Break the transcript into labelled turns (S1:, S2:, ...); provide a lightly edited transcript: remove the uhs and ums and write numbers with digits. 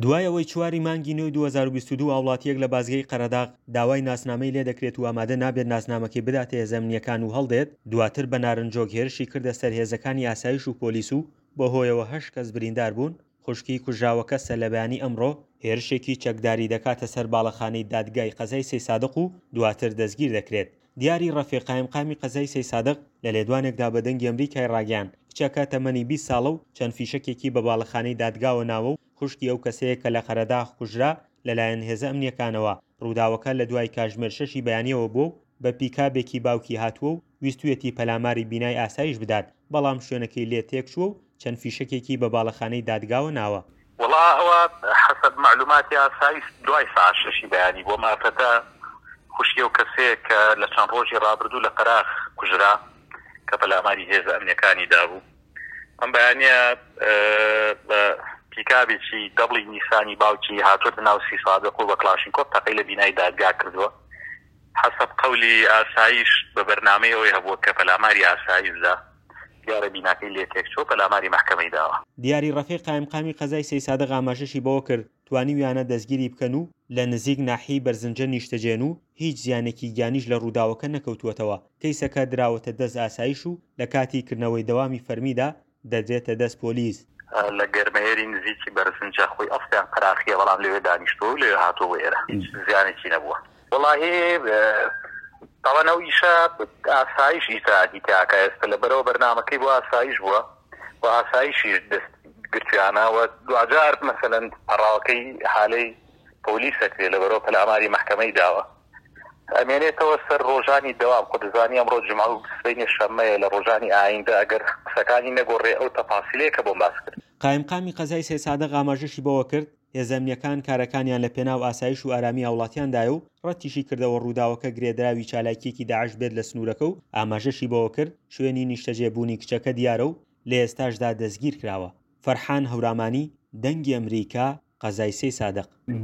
S1: دوای ئەوەی چواری مانگی نۆی 2022 هاوڵاتییەک لە بازگەی قەرەداغ داوای ناسنامەی لێدەکرێت و ئامادە نابێت ناسنامەکەی بداتە هێزە ئەمنییەکان و هەڵدێت، دواتر بە نارنجۆک هێرشی کردە سەر هێزەکانی ئاسایش و پۆلیس و بەهۆیەوە هەشت کەس بریندار بوون، خوشکی کوژراوەکە سەرلەبەیانی ئەمڕۆ هێرشێکی چەکداری دەکاتە سەر باڵەخانەی دادگای قەزای سەیسادق و دواتر دەستگیر دەکرێت. دیاری ڕەفیق قایمقامی قەزای سەیسادق لە لێدوانێکدا بە دەنگی ئەمریکای ڕاگەیاند، کچەکە تەمەنی 20 ساڵە و چەند فیشەکێکی بە باڵەخانەی دادگاوە ناوە و خوشکی ئەو کەسەیە کە لە قەرەداغ کوژرا لەلایەن هێزە ئەمنییەکانەوە، ڕووداوەکە لە دوای کاژمێر شەشی بەیانییەوە بووە و بە پیکابێکی باوکی هاتووە و ویستویەتی پەلاماری بینای ئاسایش بدات، بەڵام شوێنەکەی لێ تێکچووە و چەند فیشەکێکی بە باڵەخانەی دادگاوە ناوە.
S2: وەڵا ئەوە حەسەب مەعلوماتی ئاسایش دوای سەعات شەشی بەیانی بووە، ئەم ئافرەتە خوشکی ئەو کەسەیە کە لە چەند ڕۆژی ڕابردوو لە قەراخ کوژرا کە پەلاماری هێزە ئەمنیەکانی دابوو. ئەم بەیانیە بە پیکابێکی دەبڵی نیسانی باوکی هاتووەتە ناو سیسادق و بە کڵاشینکۆف تەقەی لە بینای دادگا کردووە. حەسەب قەولی ئاسایش بە بەرنامەی ئەوەی هەبووە کە پەلاماری ئاسایش دا، دیارە بیناکەی لێ تێکچووە، پەلاماری مەحکەمەی داوە.
S1: دیاری ڕەفیق قایمقامی قەزای سەیسادق ئاماژەشی بەوە کرد، توانیویانە دەستگیری بکەن و لە نزیک ناحیەی بەرزنجە نیشتەجێن و هیچ زیانێکی گیانیش لە ڕووداوەکە نەکەوتووەتەوە، کەیسەکە دراوەتە دەست ئاسایش و لە کاتی کردنەوەی دەوامی فەرمیدا دەدرێتە دەست پۆلیس.
S2: لە گەرمەیەری نزیکی بەرزنجە خۆی ئەسڵیان قەراخیە بەڵام لەوێ دانیشتووە و لەوێ هاتووە بۆ ئێرە هیچ زیانێکی نەبووە. وەڵاهی تاوان ئەو ئیشە ئاسایش ئیجرائاتی تیا ئەکا ئێستا لەبەرئەوە بەرنامەکەی بۆ ئاسایش بووە و ئاسایشیش دەست گرتویانە و دواجار مەسەلەن پەڕاوەکەی حالەی پۆلیس ئەکرێ لەبەرئەوە پەلاماری مەحکەمەی داوە ئەمێنێتەوە سەر ڕۆژانی دەوام خۆ دەزانی ئەمڕۆ جومعە و سبەینێ شەممەیە لە ڕۆژانی ئایندە ئەگەر قسەکانی نەگۆڕێ ئەو تەفاسیلەیە کە بۆم باس کرد.
S1: قایمقامی قەزای سەیدسادق ئاماژەشی بەوە کرد، هێزە ئەمنییەکان کارەکانیان لە پێناو ئاسایش و ئارامی هاوڵاتیاندایە و ڕەتیشی کردەوە ڕووداوەکە گرێدراوی چالاکییەکی داعش بێت لە سنوورەکە و ئاماژەشی بەوە کرد، شوێنی نیشتەجێبوونی کچەکە دیارە و لە ئێستاشدا دەستگیرکراوە. فەرحان هەورامانی، دەنگی ئەمریکا، قەزای سەیدسادق.